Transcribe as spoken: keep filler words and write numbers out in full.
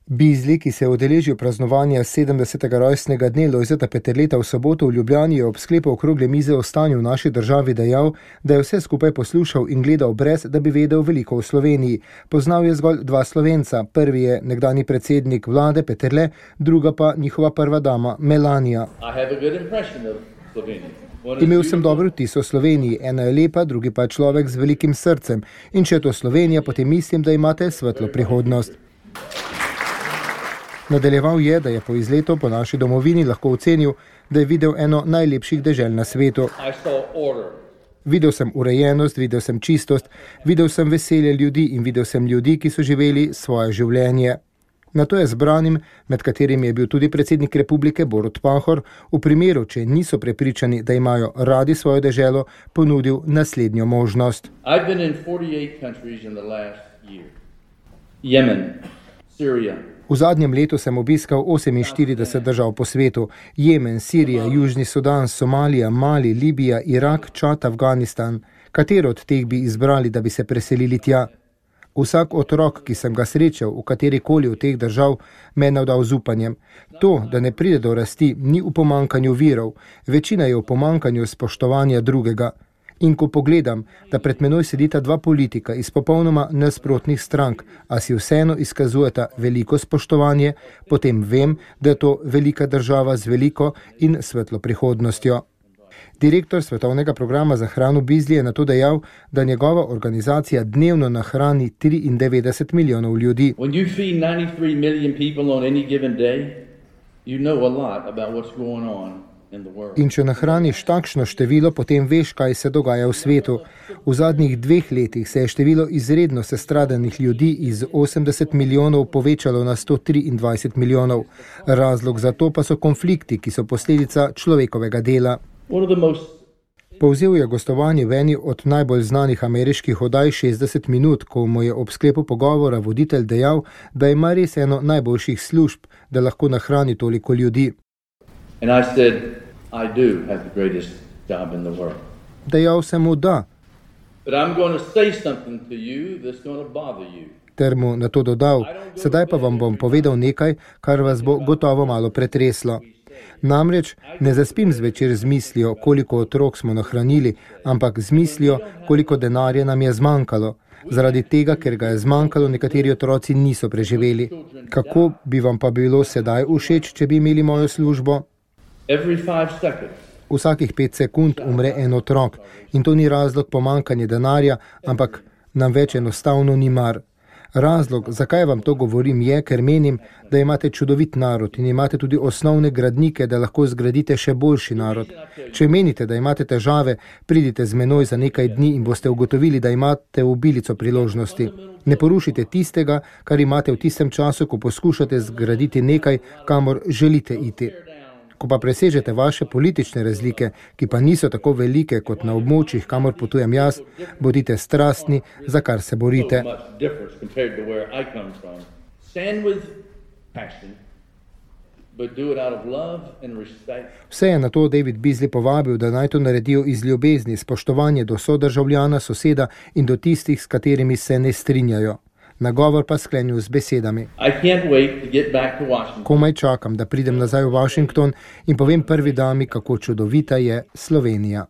Bizli, ki se je udeležil praznovanja sedemdesetega rojstnega dne Lojzeta Peterleta v soboto v Ljubljani, je ob sklepu okrogle mize o stanju v naši državi dejal, da je vse skupaj poslušal in gledal brez, da bi vedel veliko o Sloveniji. Poznal je zgolj dva Slovenca. Prvi je nekdanji predsednik vlade Peterle, druga pa njihova prva dama Melanija. Imel sem dober vtis o Sloveniji, ena je lepa, drugi pa je človek z velikim srcem. In če je to Slovenija, potem mislim, da imate svetlo prihodnost. Nadaljeval je, da je po izletu po naši domovini lahko ocenil, da je videl eno najlepših dežel na svetu. Videl sem urejenost, videl sem čistost, videl sem veselje ljudi in videl sem ljudi, ki so živeli svoje življenje. Nato je zbranim, med katerimi je bil tudi predsednik republike Borut Pahor, v primeru, če niso prepričani, da imajo radi svojo deželo, ponudil naslednjo možnost. Jemen, Sirija. V zadnjem letu sem obiskal oseminštirideset držav po svetu. Jemen, Sirija, Južni Sudan, Somalija, Mali, Libija, Irak, Čad, Afganistan. Katero od teh bi izbrali, da bi se preselili tja? Vsak otrok, ki sem ga srečal v katerikoli od teh držav, me je navdal z upanjem. To, da ne pride do rasti, ni v pomankanju virov. Večina je v pomankanju spoštovanja drugega. In ko pogledam, da pred menoj sedita dva politika iz popolnoma nasprotnih strank, a si vseeno izkazujeta veliko spoštovanje, potem vem, da je to velika država z veliko in svetlo prihodnostjo. Direktor svetovnega programa za hrano Bizli je nato dejal, da njegova organizacija dnevno nahrani triindevetdeset milijonov ljudi. When you feed ninety-three million people on any given day, you know a lot about what's going on. In če nahraniš takšno število, potem veš, kaj se dogaja v svetu. V zadnjih dveh letih se je število izredno sestradanih ljudi iz osemdeset milijonov povečalo na sto triindvajset milijonov. Razlog za to pa so konflikti, ki so posledica človekovega dela. Povzel je gostovanje v eni od najbolj znanih ameriških oddaj šestdeset minut, ko mu je ob sklepu pogovora voditelj dejal, da ima res eno najboljših služb, da lahko nahrani toliko ljudi. And I said, I do have the greatest job in the world. Dejal sem mu da. But I'm going to say something to you that's going to bother you. Ter mu na to dodal, sedaj pa vam bom povedal nekaj, kar vas bo gotovo malo pretreslo. Namreč ne zaspim zvečer z mislijo, koliko otrok smo nahranili, ampak z mislijo, koliko denarja nam je zmanjkalo. Zaradi tega, ker ga je zmanjkalo, nekateri otroci niso preživeli. Kako bi vam pa bilo sedaj všeč, če bi imeli mojo službo? Vsakih pet sekund umre en otrok in to ni razlog pomanjkanja denarja, ampak nam več enostavno ni mar. Razlog, zakaj vam to govorim, je, ker menim, da imate čudovit narod in imate tudi osnovne gradnike, da lahko zgradite še boljši narod. Če menite, da imate težave, pridite z menoj za nekaj dni in boste ugotovili, da imate obilico priložnosti. Ne porušite tistega, kar imate v tistem času, ko poskušate zgraditi nekaj, kamor želite iti. Ko pa presežete vaše politične razlike, ki pa niso tako velike kot na območjih, kamor potujem jaz, bodite strastni, za kar se borite. Vse je na to David Bizli povabil, da naj to naredijo iz ljubezni, spoštovanje do sodržavljana, soseda in do tistih, s katerimi se ne strinjajo. Nagovor pa sklenil z besedami. Komaj čakam, da pridem nazaj v Washington in povem prvi dami, kako čudovita je Slovenija.